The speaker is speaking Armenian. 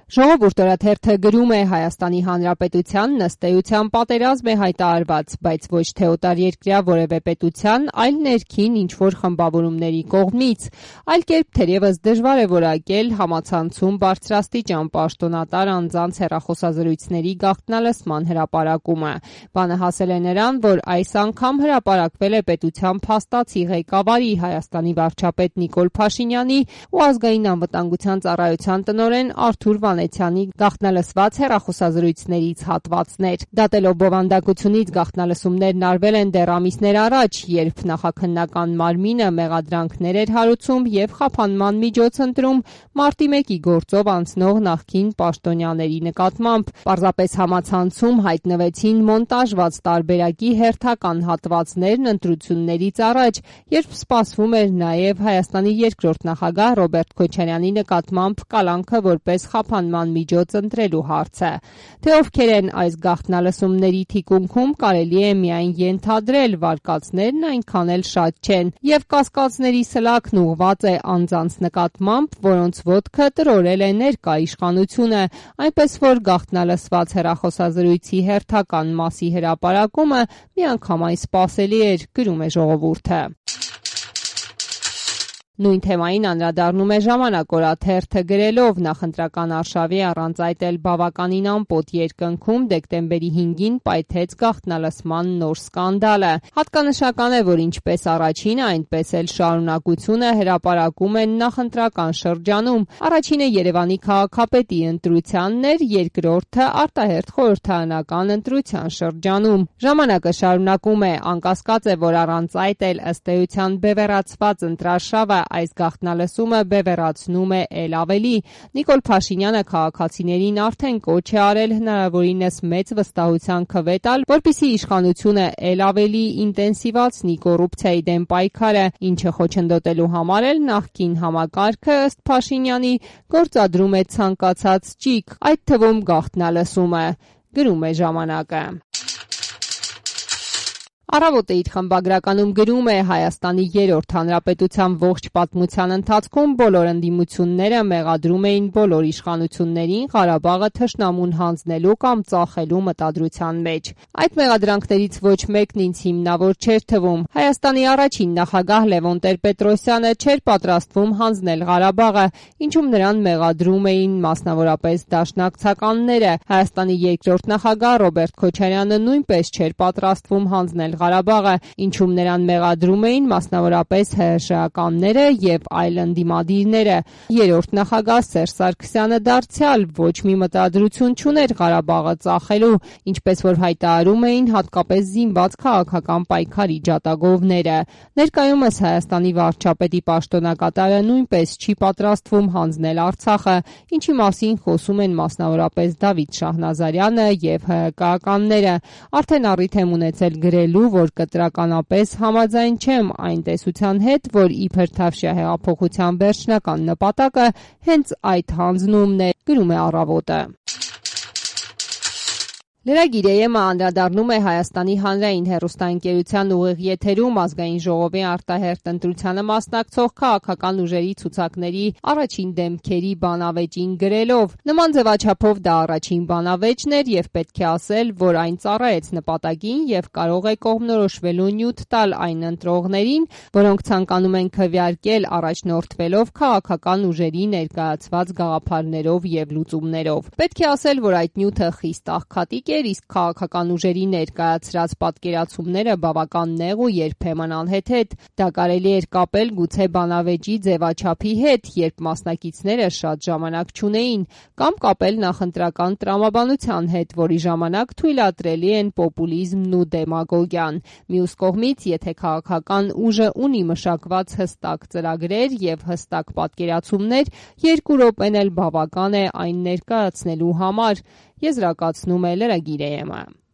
Ժողովուրդ օրաթերթը գրում է Հայաստանի Հանրապետության ըստ էության պատերազմ է հայտարարված, բայց ոչ թե օտարերկրյա որևէ պետության, այլ ներքին ինչ-որ խմբավորումների կողմից, այլ կերպ թերևս դժվար է որակել համացանցում բարձրաստիճան պաշտոնատար անձանց հեռախոսազրույցների գաղտնալսման հրապարակումը։ Բանը հասել է նրան, որ այս անգամ հրապարակվել է պետության փաստացի ղեկավարի Հայաստանի վարչապետ Նիկոլ Փաշինյանի ու ազգային անվտանգության ծառայության տնօրեն Արթուր Վանեցյանի գաղտնալսված հեռախոսազրույցներից հատվածներ։ Դատելով բովանդակությունից գաղտնալսումներն արվել են դեռ ամիսներ առաջ, երբ նախաքննական մարմինը մեղադրանքներ էր հարուցում եւ խափանման միջոց ընտրում մարտի 1-ի գործով անցնող նախկին պաշտոնյաների նկատմամբ։ Պարզապես համացանցում հայտնվեցին մոնտաժված տարբերակի հերթական հատվածներն ընտրություններից առաջ, երբ սպասվում էր նաեւ Հայաստանի երկրորդ նախագահ Ռոբերտ Քոչարյանի նկատմամբ կալանքը որպես խափանման միջոց ընտրելու հարցը։ Թե ովքեր են այս գաղտնալսումների թիկունքում կարելի է միայն ենթադրել, վարկածներն այնքան էլ շատ չեն, եւ կասկածների սլաքն ուղղված է անձանց նկատմամբ, որոնց ոտքը տրորել է ներկա իշխանությունը, այնպես որ գաղտնալսված հեռախոսազրույցի հերթական մասի հրապարակումը միանգամայն սպասելի էր, գրում է Ժողովուրդը։ Նույն թեմային անդրադառնում է Ժամանակ օրաթերթը գրելով նախընտրական արշավի առանց այդ էլ բավականին ամպոտ երկնքում դեկտեմբերի 5-ին պայթեց գաղտնալսման նոր սկանդալը։ Հատկանշական է, որ ինչպես առաջինը, այնպես էլ շարունակությունը հրապարակում են նախընտրական շրջանում։ Առաջինը Երևանի քաղաքապետի ընտրությանն էր, երկրորդը արտահերթ խորհրդարանական ընտրության շրջանում։ Ժամանակը շարունակում է, անկասկած է, որ առանց այդ էլ ըստ էության բևեռացված ընտրարշավը այս գաղտնալսումը բևեռացնում է էլ ավելի։ Նիկոլ Փաշինյանը քաղաքացիներին արդեն կոչ է արել հնարավորինս մեծ վստահության քվե տալ, որպեսզի իշխանությունը էլ ավելի ինտենսիվացնի կոռուպցիայի դեմ պայքարը, ինչը խոչընդոտելու համար էլ նախկին համակարգը ըստ Փաշինյանի գործադրում է ցանկացած ճիգ, այդ թվում գաղտնալսումը, գրում է Ժամանակը։ Առավոտը իր խմբագրականում գրում է Հայաստանի երրորդ հանրապետության ողջ պատմության ընթացքում բոլոր ընդդիմությունները մեղադրում էին բոլոր իշխանություններին Ղարաբաղը թշնամուն հանձնելու կամ ծախելու մտադրության մեջ։ Այդ մեղադրանքներից ոչ մեկն ինձ հիմնավոր չէր թվում։ Հայաստանի առաջին նախագահ Լևոն Տեր-Պետրոսյանը չէր պատրաստվում հանձնել Ղարաբաղը, ինչում նրան մեղադրում էին մասնավորապես դաշնակցականները։ Հայաստանի երկրորդ նախագահ Ռոբերտ Քոչարյանը նույնպես չէր պատրաստվում հանձնել Ղարաբաղը, ինչում նրան մեղադրում էին մասնավորապես ՀՀՇ-ականները եւ այլ ընդդիմադիրները։ Երրորդ նախագահ Սերժ Սարգսյանը դարձյալ ոչ մի մտադրություն չուներ Ղարաբաղը ծախելու, ինչպես որ հայտարարում էին հատկապես զինված քաղաքական պայքարի ջատագովները։ Ներկայումս Հայաստանի վարչապետի պաշտոնակատարը նույնպես չի պատրաստվում հանձնել Արցախը, ինչի մասին խոսում են մասնավորապես Դավիթ Շահնազարյանը եւ ՀՀԿ-ականները։ Արդեն առիթ եմ ունեցել գրելու, որ կտրականապես համաձայն չեմ այն տեսության հետ, որ իբր Թավշյա հեղափոխության վերջնական նպատակը հենց այդ հանձնումն է, գրում է Առավոտը։ Լրագիր-ԵՄ-ը անդրադառնում է Հայաստանի հանրային հեռուստաընկերության ուղիղ եթերում ազգային ժողովի արտահերթ ընտրությանը մասնակցող քաղաքական ուժերի ցուցակների առաջին դեմքերի բանավեճին գրելով. Նման ձևաչափով դա առաջին բանավեճն էր եւ պետք է ասել, որ այն ծառայեց նպատակին եւ կարող է կողմնորոշվելու նյութ տալ այն ընտրողներին, որոնք ցանկանում են քվեարկել առաջնորդվելով քաղաքական ուժերի ներկայացված գաղափարներով եւ լուծումներով։ Պետք է ասել, որ այդ նյութը խիստ աղքատիկ իսկ քաղաքական ուժերի ներկայացրած պատկերացումները բավական նեղ ու երբեմն անհեթեթ։ Դա կարելի էր կապել գուցե բանավեճի ձևաչափի հետ, երբ մասնակիցները շատ ժամանակ չունեին, կամ կապել նախընտրական տրամաբանության հետ, որի ժամանակ թույլատրելի են պոպուլիզմն ու դեմագոգիան։ Մյուս կողմից, եթե քաղաքական ուժը ունի մշակված հստակ ծրագրեր եւ հստակ պատկերացումներ, 2 րոպեն էլ բավական է այն ներկայացնելու համար, եզրակացնում է լրագիր-ԵՄ-ը։